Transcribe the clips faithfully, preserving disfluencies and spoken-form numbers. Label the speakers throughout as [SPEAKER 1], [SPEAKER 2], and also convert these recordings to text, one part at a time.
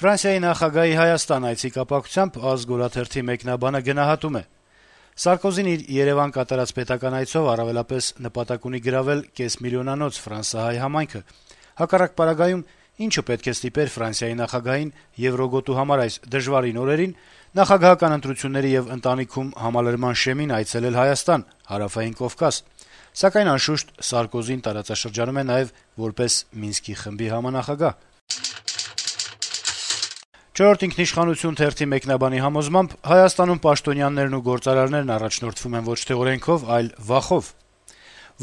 [SPEAKER 1] Ֆրանսիայի նախագահի Հայաստան այցի կապակցությամբ «Ազգ» օրաթերթի մեկնաբանը գնահատում է. - «Սարկոզին իր Երեւան կատարած պետական այցով առավելապես նպատակ ունի գրավել կեսմիլիոնանոց ֆրանսահայ համայնքը։ Հակառակ պարագայում ինչու պետք է ստիպեր Ֆրանսիայի նախագահին եվրոգոտու համար այս դժվարին օրերին նախագահական ընտրությունների եւ ընտանիքում համալրման շեմին այցելել Հայաստան, Հարավային Կովկաս։ Սակայն անշուշտ Սարկոզին տարածաշրջանում է նաեւ որպես Մինսկի խմբի համանախագահ»։ «Չորրորդ ինքնիշխանություն» թերթի մեկնաբանի համոզմամբ Հայաստանում պաշտոնյաներն ու գործարարներն առաջնորդվում են ոչ թե օրենքով, այլ վախով։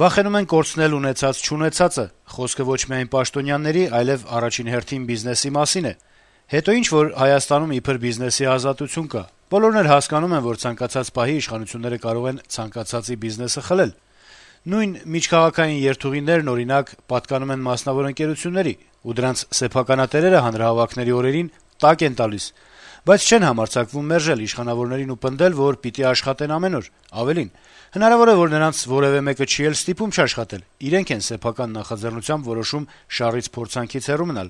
[SPEAKER 1] «Վախենում են կորցնել ունեցած-չունեցածը, խոսքը ոչ միայն պաշտոնյաների, այլեւ առաջին հերթին բիզնեսի մասին է։ Հետո ինչ որ Հայաստանում իբր բիզնեսի ազատություն կա։ Բոլորն էլ հասկանում են, որ ցանկացած պահի իշխանությունները կարող են ցանկացածի բիզնեսը խլել։ Նույն միջքաղաքային երթուղիներն, օրինակ, պատկանում են մասնավոր ընկերությունների, ու դրանց սեփականատերերը հանրահավաքների օրերին տակ են տալիս, բայց չեն համարձակվում մերժել իշխանավորներին ու պնդել, որ պիտի աշխատեն ամեն օր։ Ավելին, հնարավոր է, որ նրանց որեւէ մեկը չի էլ ստիպում չաշխատել, իրենք են սեփական նախաձեռնությամբ որոշում շառից փորձանքից հեռու մնալ,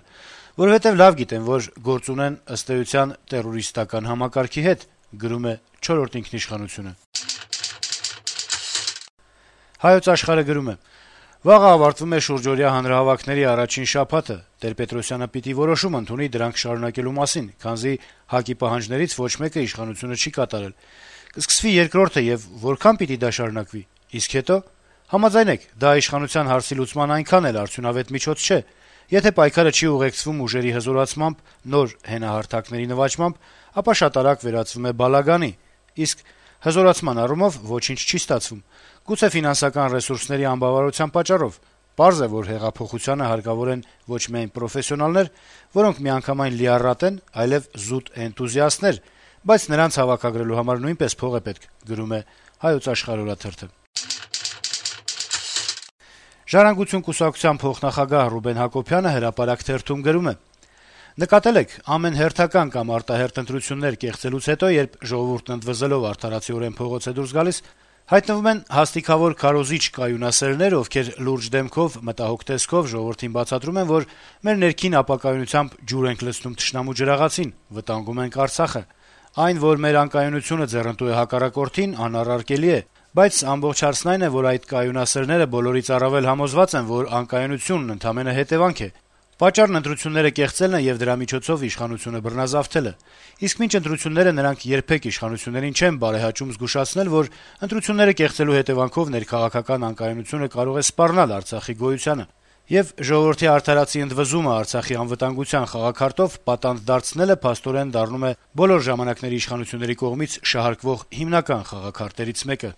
[SPEAKER 1] որովհետեւ լավ գիտեն, որ գործ ունեն ըստ էության տերորիստական համակարգի հետ», գրում է «Չորրորդ ինքնիշխանություն»-ը։ «Հայոց Աշխարհ»-ը գրում է. - «Վաղը ավարտվում է շուրջօրյա հանրահավաքների առաջին շաբաթը։ Տեր-Պետրոսյանը պիտի որոշում ընդունի դրանք շարունակելու մասին, քանզի ՀԱԿ-ի պահանջներից ոչ մեկը իշխանությունը չի կատարել։ Կսկսվի երկրորդը եւ որքան պիտի դա շարունակվի։ Իսկ հետո։ Համաձայնեք, դա իշխանության հարցի լուծման այնքան էլ արդյունավետ միջոց չէ։ Եթե պայքարը չի ուղեկցվում ուժերի հզորացմամբ, նոր հենահարթակների նվաճմամբ, ապա շատ արագ վերածվում է բալագանի։ Իսկ հզորացման առումով ոչինչ չի ստացվում։ Գուցե ֆինանսական ռեսուրսների անբավարարության պատճառով։ Պարզ է, որ հեղափոխությանը հարկավոր են ոչ միայն պրոֆեսիոնալներ, որոնք միանգամայն լիառատ են, այլեւ զուտ էնտուզիաստներ, բայց նրանց հավաքագրելու համար նույնպես փող է պետք», գրում է «Հայոց Աշխարհ» օրաթերթը։ «Ժառանգություն» կուսակցության փոխնախագահ Ռուբեն Հակոբյանը «Հրապարակ» թերթում գրում է. - «Նկատել եք, ամեն հերթական կամ արտահերթ ընտրություններ կեղծելուց հետո, երբ ժողովուրդն ընդվզելով արդարացիորեն փողոց է դուրս գալիս, հայտնվում են հաստիքավոր քարոզիչ կայունասերներ, ովքեր լուրջ դեմքով, մտահոգ տեսքով ժողովրդին բացատրում են, որ մեր ներքին ապակայունությամբ ջուր ենք լցնում թշնամու ջրաղացին, վտանգում ենք Արցախը։ Այն, որ մեր անկայունությունը ձեռնտու է հակառակորդին, անառարկելի է, բայց ամբողջ հարցն այն է, որ այդ կայունասերները բոլորից առավել համոզված են, որ անկայունությունն ընդամենը հետեւանք է։ Պատճառն ընտրությունները կեղծելն է եւ դրա միջոցով իշխանությունը բռնազավթելը։ Իսկ մինչ ընտրությունները նրանք երբեք իշխանություններին չեն բարեհաճում զգուշացնել, որ ընտրությունները կեղծելու հետեւանքով ներքաղաքական անկայունությունը կարող է սպառնալ Արցախի գոյությանը։ Եվ ժողովրդի արդարացի ընդվզումը Արցախի անվտանգության խաղաքարտով պատանդ դարձնելը փաստորեն դառնում է բոլոր ժամանակների իշխանությունների կողմից շահարկվող հիմնական խաղաքարտերից մեկը»։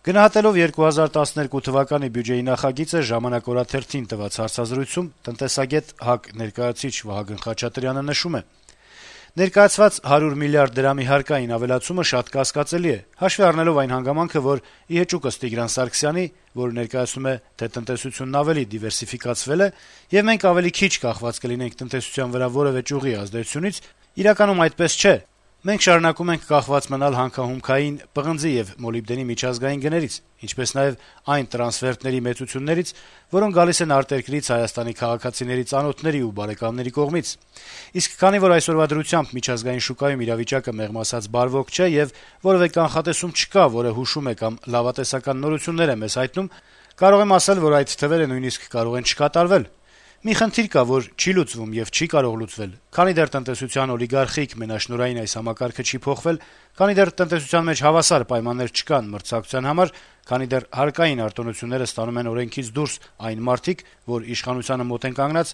[SPEAKER 1] Գնահատելով երկու հազար տասներկու թվականի բյուջեի նախագիծը «Ժամանակ» օրաթերթին տված հարցազրույցում տնտեսագետ ՀԱԿ ներկայացուցիչ Վահագն Խաչատրյանը նշում է. - «Ներկայացված հարյուր միլիարդ դրամի հարկային ավելացումը շատ կասկածելի է, հաշվի առնելով այն հանգամանքը, որ ի հեճուկս Տիգրան Սարգսյանի, որը ներկայացնում է, թե տնտեսությունն ավելի դիվերսիֆիկացվել է, եւ մենք ավելի քիչ կախված կլինենք տնտեսության վրա որեւէ ճյուղի ազդեցությունից, իրականում այդպես չէ։ Մենք շարունակում ենք կախված մնալ հանքահումքային, պղնձի եւ մոլիբդենի միջազգային գներից, ինչպես նաեւ այն տրանսֆերտների մեծություններից, որոնք գալիս են արտերկրից Հայաստանի քաղաքացիների ծանոթների ու բարեկամների կողմից։ Իսկ քանի որ այսօրվա դրությամբ միջազգային շուկայում իրավիճակը մեղմ ասած բարվոք չէ եւ որեւէ կանխատեսում չկա, որը հուշում է կամ լավատեսական նորություններ է մեզ հայտնում, կարող եմ ասել, որ այդ թվերը նույնիսկ կարող են չկատարվել։ Մի խնդիր կա, որ չի լուծվում եւ չի կարող լուծվել, քանի դեռ տնտեսության օլիգարխիկ մենաշնորհային այս համակարգը չի փոխվել, քանի դեռ տնտեսության մեջ հավասար պայմաններ չկան մրցակցության համար, քանի դեռ հարկային արտոնությունները ստանում են օրենքից դուրս այն մարդիկ, որ իշխանությանը մոտ են կանգնած,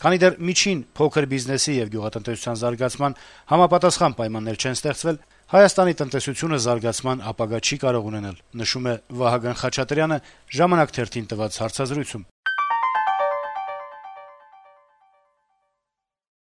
[SPEAKER 1] քանի դեռ միջին փոքր բիզնեսի եւ գյուղատնտեսության զարգացման համապատասխան պայմաններ չեն ստեղծվել, Հայաստանի տնտեսությունը զարգացման ապագա չի կարող ունենալ, նշում է Վահագն Խաչատրյանը «Ժամանակ» թերթին տված հարցազրույցում։